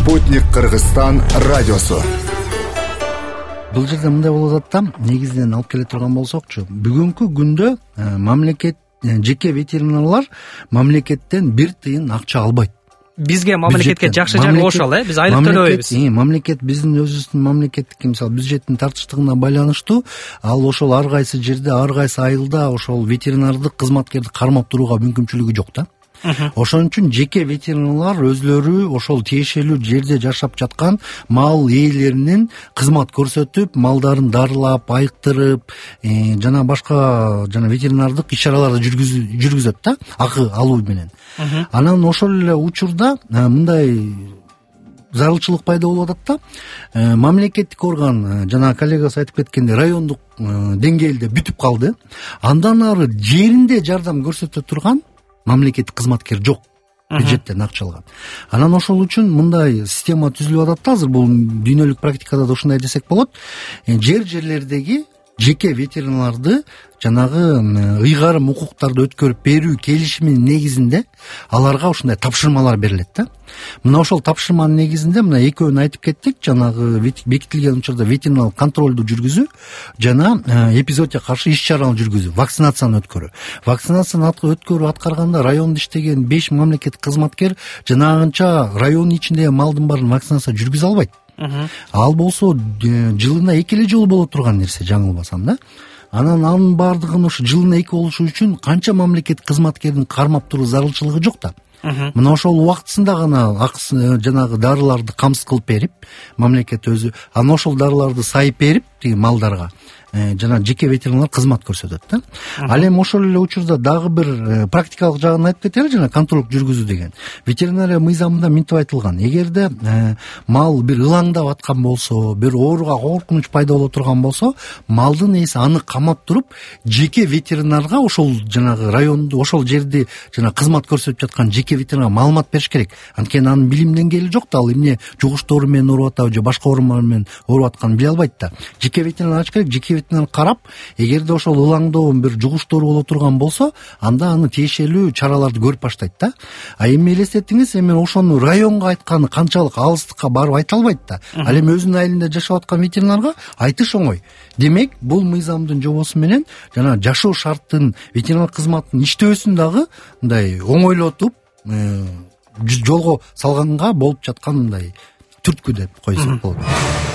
Спутник Кыргызстан радиосу. Бул жерде мындай болуп атат да, негизинен алып келе турган болсокчу, бүгүнкү күндө мамлекет, жеке ветеринарлар мамлекеттен бир тыйын акча албайт. Бизге мамлекетке жакшы жагы ошол, биз айлык төлөбөйбүз. Мамлекет биздин өзүбүздүн мамлекеттик, мисалы бюджеттин тартыштыгына байланыштуу, ал ошол ар кайсы жерде, ар кайсы айылда ошол ветеринардык кызматкерди кармап турууга мүмкүнчүлүгү жок да. Ошон үчүн жеке ветеринарлар өзлөрү ошол тиешелүү жерде жашап жаткан мал ээлеринин кызмат көрсөтүп, малдарын дарылап, айыктырып, жана башка ветеринардык иш-чараларды жүргүзөт да, акы алуу менен. Анан ошол эле учурда мындай зарылчылык пайда болуп атат да, мамлекеттик орган, жана коллегасы айтып кеткендей, райондук деңгээлде бүтүп калды. Андан ары жеринде жардам көрсөтө турган мамлекеттик кызматкер жок, бюджеттен акча алган. Анан ошол үчүн мындай система түзүлүп атат да, азыр бул дүйнөлүк практикада да ушундай десек болот. Жерлердеги жеке ветеринарларды жанагы ыйгарым укуктарды өткөрүп берүү келишиминин негизинде аларга ушундай тапшырмалар берилет да. Мына ошол тапшырманын негизинде мына экөөнү айтып кеттик, жанагы бекитилген учурда ветериналык контролду жүргүзүү жана эпизоодко каршы иш-чараны жүргүзүү, вакцинацияны өткөрүү. Вакцинацияны өткөрүү аткарганда райондо иштеген 5 мамлекеттик кызматкер жанагынча районун ичиндеги малдын баарын вакцинация жүргүзө албайт. Ал болсо жылына 2 эле жолу боло турган нерсе, жаңылбасам да. Анын баардыгын ушу жылына 2 болушу үчүн канча мамлекеттик кызматкердин кармап туруу зарылчылыгы жок да. Мына ошол убактысында гана акысын, жанагы дарыларды камсыз кылып берип, мамлекет өзү анан ошол дарыларды сайып берип, тиги малдарга жана жеке ветеринарлар кызмат көрсөтөт да. Ал эми ошол эле учурда дагы бир практикалык жагын айтып кетели, жана контроль жүргүзүү деген. Ветеринария мыйзамында минтип айтылган. Эгерде мал бир ылаңдап аткан болсо, бир ооруга коркунуч пайда боло турган болсо, малдын ээси аны камап туруп, жеке ветеринарга ошол жанагы районду, ошол жерди жана кызмат көрсөтүп жаткан жеке ветеринарга маалымат бериш керек. Анткени анын билим деңгээли жок да, ал эмне жугуштоору менен ооруп атабы же башка оорулар менен ооруп атканын биле албайт да. Жеке ветеринар ачыш керек, жеке ветеринар карап, эгерде ошол ылаңдоон бир жугуштоору боло турган болсо, анда аны тиешелүү чараларды көрүп баштайт да. А эми элестетиңиз, эми ошону районго айтканы канчалык алыстыкка барып айта албайт да. Ал эми өзүнүн айылында жашап аткан ветеринарга айтыш оңой. Демек, бул мыйзамдын жобосу менен жана жашоо шарттын, ветеринар кызматтын иштөөсүн дагы мындай оңойлотуп жолго салганга болуп жаткан мындай түрткү деп койсок болот.